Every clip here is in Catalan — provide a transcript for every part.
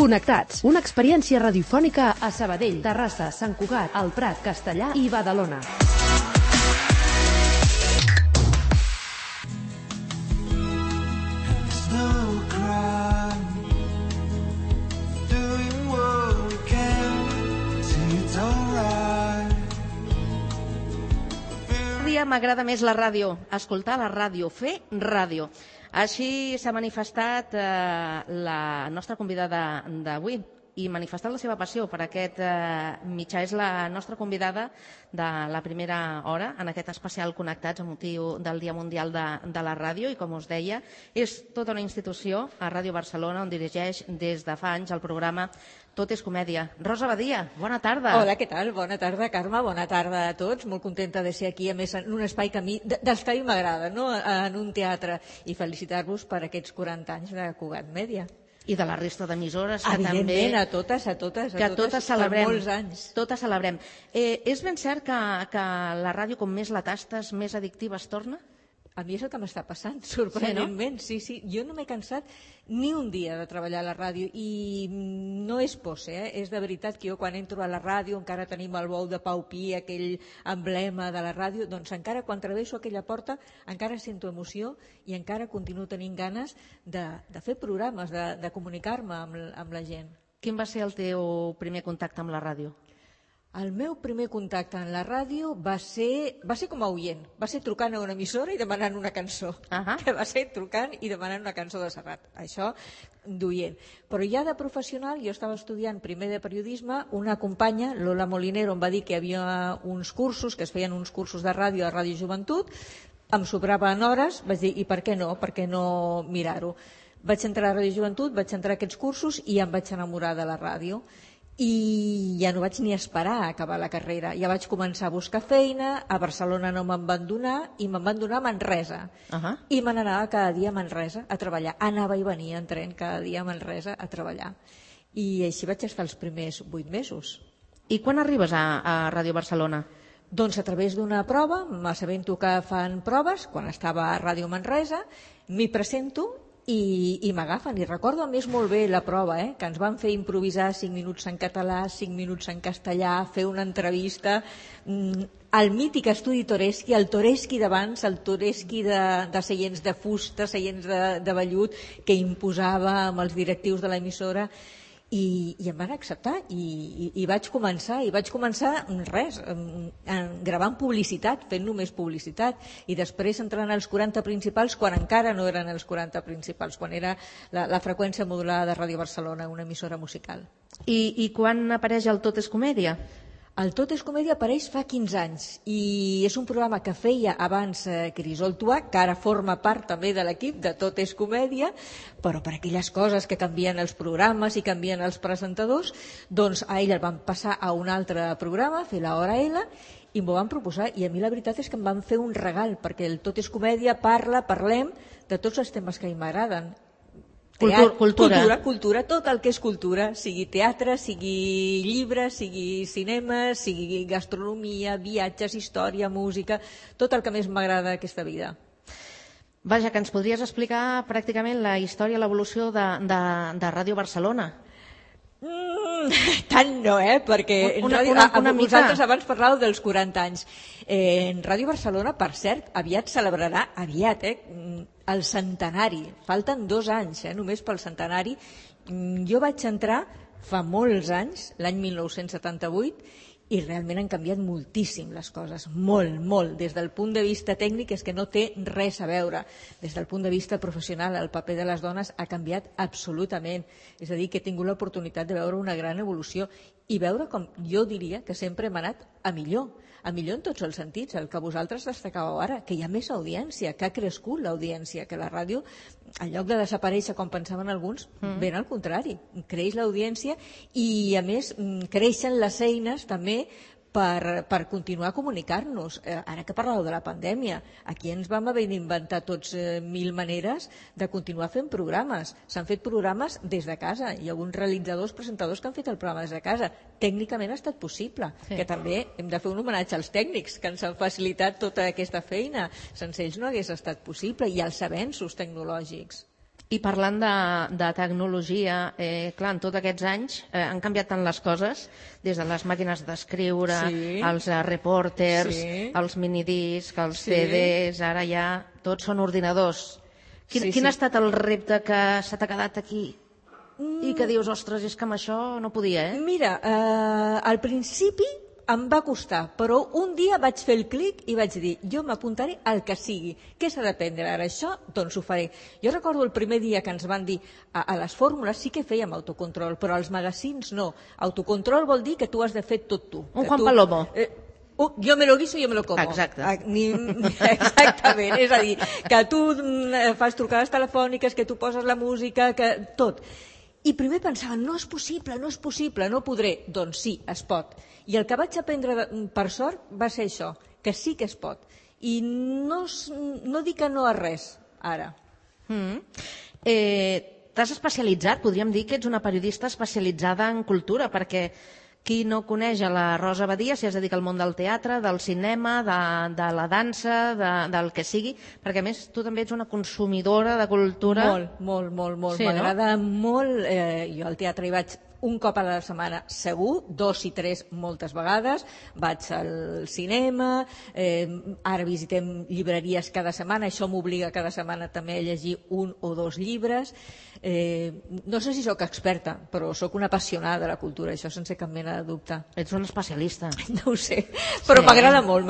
Connectats, una experiència radiofònica a Sabadell, Terrassa, Sant Cugat, El Prat, Castellar i Badalona. M'agrada més la ràdio, escoltar la ràdio, fer ràdio. Així s'ha manifestat la nostra convidada d'avui i manifestat la seva passió per aquest mitjà. És la nostra convidada de la primera hora en aquest especial Connectats amb motiu del Dia Mundial de la Ràdio i, com us deia, és tota una institució a Ràdio Barcelona on dirigeix des de fa anys el programa Tot és comèdia. Rosa Badia, bona tarda. Hola, què tal? Bona tarda, Carme, bona tarda a tots. Molt contenta de ser aquí, a més, en un espai que a mi, dels que a mi m'agrada, no? En un teatre, i felicitar-vos per aquests 40 anys de Cugat Mèdia. I de la resta d'emissores, que evidentment, també... a totes celebrem, per molts anys. Totes celebrem. És ben cert que la ràdio, com més la tastes, més addictiva es torna? A mi és el que m'està passant, sorprenentment. Sí, sí. Jo no m'he cansat ni un dia de treballar a la ràdio i no és pose, és de veritat que jo quan entro a la ràdio encara tenim el bou de Pau Pi, aquell emblema de la ràdio, doncs encara quan travesso aquella porta encara sento emoció i encara continuo tenint ganes de fer programes, de comunicar-me amb la gent. Quin va ser el teu primer contacte amb la ràdio? El meu primer contacte en la ràdio va ser com a oient, va ser trucant a una emissora i demanant una cançó, que va ser trucant i demanant una cançó de Serrat, això d'oient. Però ja de professional, jo estava estudiant primer de periodisme, una companya, Lola Molinero, em va dir que hi havia uns cursos, que es feien uns cursos de ràdio a Ràdio Joventut, em sobraven hores, vaig dir, i per què no mirar-ho? Vaig entrar a Ràdio Joventut, vaig entrar a aquests cursos i em vaig enamorar de la ràdio. I ja no vaig ni esperar a acabar la carrera, ja vaig començar a buscar feina, a Barcelona no me'n van donar i me'n van donar a Manresa i me n'anava cada dia a Manresa a treballar, anava i venia en tren cada dia a Manresa a treballar i així vaig estar els primers 8 mesos. I quan arribes a Ràdio Barcelona? Doncs a través d'una prova, m'assabento que fan proves, quan estava a Ràdio Manresa, m'hi presento i m'agafen, i recordo a més molt bé la prova, que ens van fer improvisar 5 minuts en català, 5 minuts en castellà, fer una entrevista al mític estudi Toreschi, el Toreschi d'abans, el Toreschi de seients de fusta, seients de vellut, que imposava amb els directius de l'emissora, i em van acceptar i vaig començar res, gravant publicitat, fent només publicitat, i després entrant als 40 principals quan encara no eren els 40 principals, quan era la freqüència modulada de Ràdio Barcelona, una emissora musical. I quan apareix el Tot és comèdia? El Tot és comèdia apareix fa 15 anys i és un programa que feia abans Crisol Tuà, que ara forma part també de l'equip de Tot és comèdia, però per aquelles coses que canvien els programes i canvien els presentadors, doncs a ell el van passar a un altre programa, a fer l'Hora L, i m'ho van proposar, i a mi la veritat és que em van fer un regal, perquè el Tot és comèdia parlem de tots els temes que a mi m'agraden. Cultura, tot el que és cultura, sigui teatre, sigui llibre, sigui cinema, sigui gastronomia, viatges, història, música, tot el que més m'agrada d'aquesta vida. Vaja, que ens podries explicar pràcticament la història, l'evolució de Ràdio Barcelona. Tant no, perquè vosaltres abans parlàveu dels 40 anys. En Ràdio Barcelona, per cert, aviat celebrarà, el centenari. Falten 2 anys, només pel centenari. Jo vaig entrar fa molts anys, l'any 1978, i realment han canviat moltíssim les coses, molt. Des del punt de vista tècnic és que no té res a veure. Des del punt de vista professional, el paper de les dones ha canviat absolutament. És a dir, que he tingut l'oportunitat de veure una gran evolució i veure com jo diria que sempre hem anat a millor en tots els sentits, el que vosaltres destacàveu ara, que hi ha més audiència, que ha crescut l'audiència, que la ràdio, en lloc de desaparèixer com pensaven alguns, ben al contrari, creix l'audiència i a més creixen les eines també per continuar a comunicar-nos. Ara que parlàveu de la pandèmia, aquí ens vam haver d'inventar tots 1000 maneres de continuar fent programes. S'han fet programes des de casa. Hi ha alguns realitzadors, presentadors que han fet el programa des de casa. Tècnicament ha estat possible, que també hem de fer un homenatge als tècnics que ens han facilitat tota aquesta feina. Sense ells no hagués estat possible, i als avenços tecnològics. I parlant de tecnologia, clar, en tots aquests anys han canviat tant les coses, des de les màquines d'escriure, els reporters, els minidiscs, els CDs, ara ja tots són ordinadors. Quin ha estat el repte que se t'ha quedat aquí i que dius, ostres, és que amb això no podia, Mira, al principi em va costar, però un dia vaig fer el clic i vaig dir, jo m'apuntaré al que sigui. Què s'ha d'aprendre ara això? Doncs ho faré. Jo recordo el primer dia que ens van dir a les fórmules sí que fèiem autocontrol, però als magazins no. Autocontrol vol dir que tu has de fer tot tu. Un Juan Palomo. Jo me lo guiso, jo me lo como. Exacte. Exactament, és a dir, que tu fas trucades telefòniques, que tu poses la música, que tot. I primer pensava, no és possible, no podré. Doncs sí, es pot. I el que vaig aprendre, per sort, va ser això, que sí que es pot. I no dic que no a res, ara. T'has especialitzat, podríem dir que ets una periodista especialitzada en cultura, perquè qui no coneix a la Rosa Badia si es dedica al món del teatre, del cinema, de la dansa, del que sigui, perquè a més tu també ets una consumidora de cultura. Molt. Sí, m'agrada molt. Jo al teatre hi vaig un cop a la setmana segur, 2 i 3 moltes vegades, vaig al cinema, ara visitem llibreries cada setmana, això m'obliga cada setmana també a llegir 1 o 2 llibres. No sé si sóc experta, però sóc una apassionada de la cultura, això sense cap mena de dubte. Ets una especialista. No ho sé, però m'agrada molt,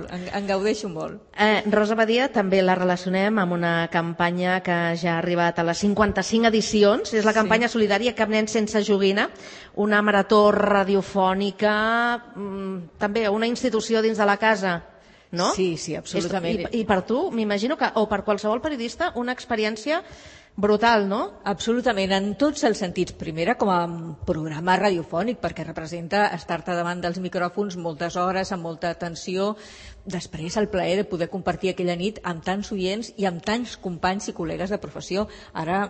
en gaudeixo molt. Rosa Badia també la relacionem amb una campanya que ja ha arribat a les 55 edicions, és la campanya solidària Cap nen sense joguina, una marató radiofònica, també una institució dins de la casa, no? Sí, absolutament. I per tu, m'imagino que, o per qualsevol periodista, una experiència brutal, no? Absolutament, en tots els sentits. Primera, com a programa radiofònic, perquè representa estar-te davant dels micròfons moltes hores, amb molta atenció. Després, el plaer de poder compartir aquella nit amb tants oients i amb tants companys i col·legues de professió. Ara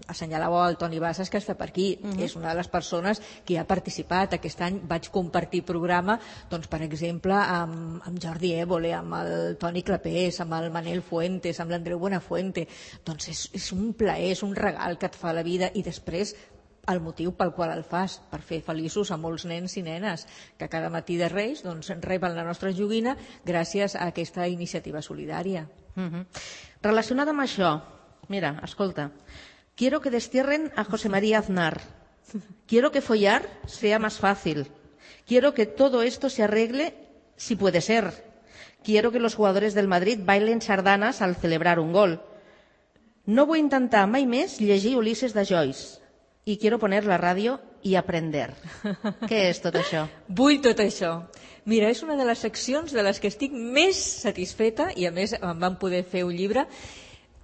assenyalàveu el Toni Bassas, que està per aquí. És una de les persones que ha participat. Aquest any vaig compartir programa, doncs, per exemple, amb Jordi Évole, amb el Toni Clapés, amb el Manel Fuentes, amb l'Andreu Buenafuente. Doncs és un plaer, és un regal que et fa la vida. I després, el motiu pel qual el fas, per fer feliços a molts nens i nenes que cada matí de Reis reben la nostra joguina gràcies a aquesta iniciativa solidària. Relacionada amb això, mira, escolta, quiero que destierren a José María Aznar, quiero que follar sea más fácil, quiero que todo esto se arregle si puede ser, quiero que los jugadores del Madrid bailen sardanas al celebrar un gol, no vull intentar mai més llegir Ulises de Joyce, i quiero poner la ràdio i aprender. Què és tot això? Vull tot això. Mira, és una de les seccions de les que estic més satisfeta i a més em van poder fer un llibre.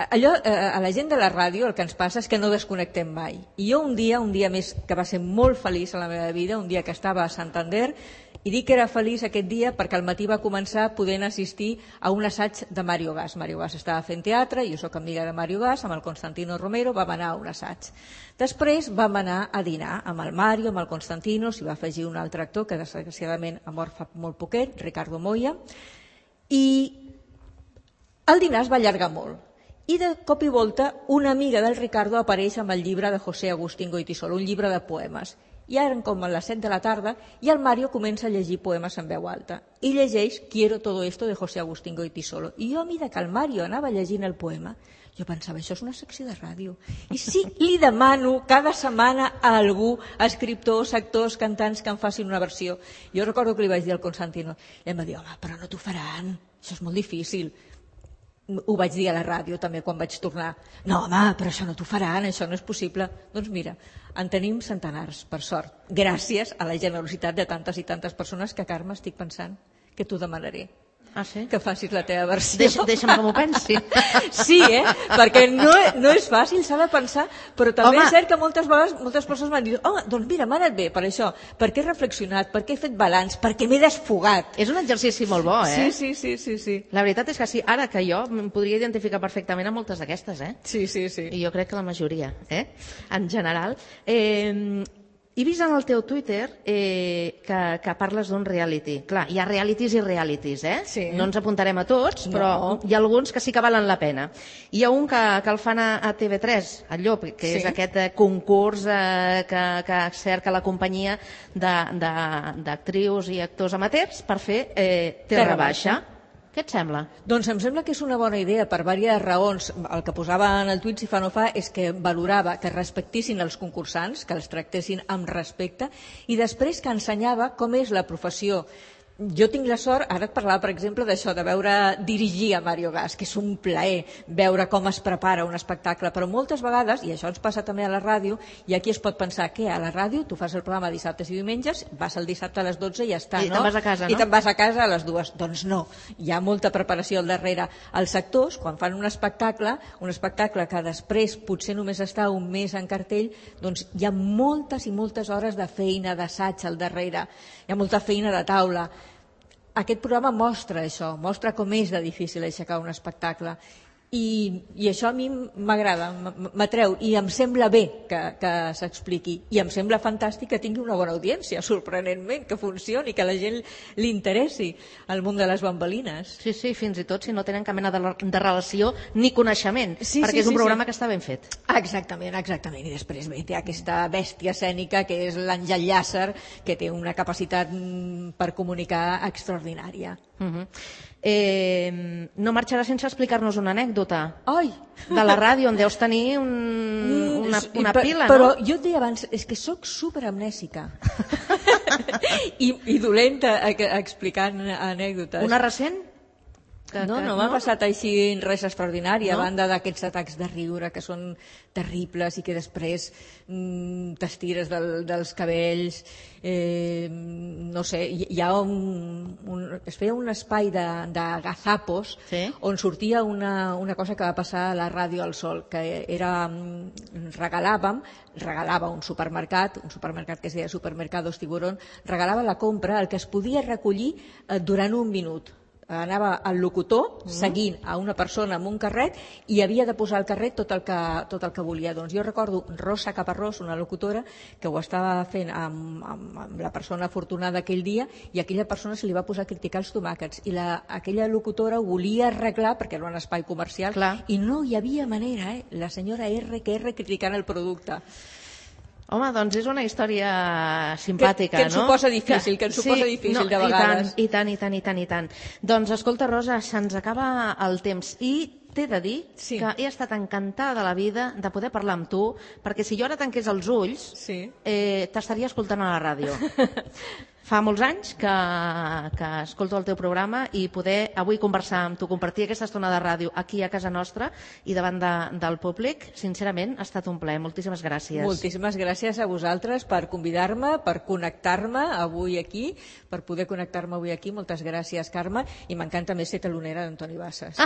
Allò, a la gent de la ràdio el que ens passa és que no desconnectem mai. I jo un dia més que va ser molt feliç a la meva vida, un dia que estava a Santander, i dic que era feliç aquest dia perquè al matí va començar podent assistir a un assaig de Mario Gas. Mario Gas estava fent teatre, jo sóc amiga de Mario Gas, amb el Constantino Romero vam anar a un assaig. Després vam anar a dinar amb el Mario, amb el Constantino, s'hi va afegir un altre actor que desgraciadament ha mort fa molt poquet, Ricardo Moya, i el dinar es va allargar molt. I de cop i volta una amiga del Ricardo apareix amb el llibre de José Agustín Goytisolo, un llibre de poemes. I eren com a les 7 de la tarda i el Mario comença a llegir poemes en veu alta. I llegeix Quiero todo esto de José Agustín Goytisolo. I jo, a mesura que el Mario anava llegint el poema, jo pensava, això és una secció de ràdio. I sí, li demano cada setmana a algú, a escriptors, actors, cantants, que em facin una versió. Jo recordo que li vaig dir al Constantino, i em va dir, home, però no t'ho faran, això és molt difícil. Ho vaig dir a la ràdio també quan vaig tornar. No, home, però això no t'ho faran, això no és possible. Doncs mira, en tenim centenars, per sort, gràcies a la generositat de tantes i tantes persones que, Carme, estic pensant que t'ho demanaré. Ah, sí? Que facis la teva versió. Deixa'm que m'ho pensi. Sí, perquè no és fàcil, s'ha de pensar, però també és cert que moltes vegades moltes persones m'han dit, home, doncs mira, m'ha anat bé per això, perquè he reflexionat, perquè he fet balanç, perquè m'he desfogat. És un exercici molt bo, Sí. La veritat és que sí, ara que jo em podria identificar perfectament amb moltes d'aquestes, Sí. I jo crec que la majoria, en general. He vist en el teu Twitter que parles d'un reality. Clar, hi ha realities i realities, eh? Sí. No ens apuntarem a tots, però hi ha alguns que sí que valen la pena. Hi ha un que el fan a TV3, el Llop, que és aquest concurs que cerca la companyia d'actrius i actors amateurs per fer Terra Baixa. Què et sembla? Doncs em sembla que és una bona idea per diverses raons. El que posava en el tuit, si fa no fa, és que valorava que respectissin els concursants, que els tractessin amb respecte, i després que ensenyava com és la professió. Jo tinc la sort, ara et parlava, per exemple, d'això, de veure dirigir a Mario Gas, que és un plaer veure com es prepara un espectacle, però moltes vegades, i això ens passa també a la ràdio, i aquí es pot pensar que a la ràdio tu fas el programa dissabtes i diumenges, vas el dissabte a les 12 i ja està, I te'n vas a casa, no? I te'n vas a casa a les 2. Doncs no, hi ha molta preparació al darrere. Els actors, quan fan un espectacle que després potser només està un mes en cartell, doncs hi ha moltes i moltes hores de feina, d'assaig al darrere, hi ha molta feina de taula. Aquest programa mostra això, mostra com és de difícil aixecar un espectacle. I això a mi m'agrada, m'atreu, i em sembla bé que s'expliqui. I em sembla fantàstic que tingui una bona audiència, sorprenentment, que funcioni, que a la gent li interessi el món de les bambolines. Sí, fins i tot si no tenen cap mena de relació ni coneixement, perquè és un programa que està ben fet. Exactament. I després té aquesta bèstia escènica que és l'Àngel Llàcer, que té una capacitat per comunicar extraordinària. No marxarà sense explicar-nos una anècdota de la ràdio, on deus tenir una pila, no? Però jo et deia abans, és que sóc superamnèsica i dolenta explicant anècdotes. Una recent? No m'ha passat així res extraordinari, a banda d'aquests atacs de riure que són terribles i que després t'estires dels cabells. No sé, hi ha es feia un espai de gazapos on sortia una cosa que va passar a la ràdio al Sol, que era regalava un supermercat que es deia Supermercados Tiburón, regalava la compra, el que es podia recollir durant un minut. Anava el locutor seguint a una persona amb un carret i havia de posar al carret tot el que volia. Doncs jo recordo Rosa Caparrós, una locutora, que ho estava fent amb la persona afortunada aquell dia, i a aquella persona se li va posar a criticar els tomàquets, i aquella locutora ho volia arreglar perquè era un espai comercial. Clar. I no hi havia manera, la senyora R criticant el producte. Home, doncs és una història simpàtica, que ens suposa difícil, de vegades. I tant. Doncs escolta, Rosa, se'ns acaba el temps i t'he de dir que he estat encantada de la vida de poder parlar amb tu, perquè si jo ara tanqués els ulls t'estaria escoltant a la ràdio. Fa molts anys que escolto el teu programa, i poder avui conversar amb tu, compartir aquesta estona de ràdio aquí a casa nostra i davant del públic, sincerament ha estat un plaer. Moltíssimes gràcies. Moltíssimes gràcies a vosaltres per convidar-me, per connectar-me avui aquí, per poder connectar-me avui aquí. Moltes gràcies, Carme, i m'encanta més ser talonera d'Antoni Bassas.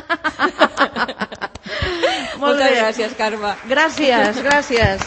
Moltes gràcies, Carme. Gràcies.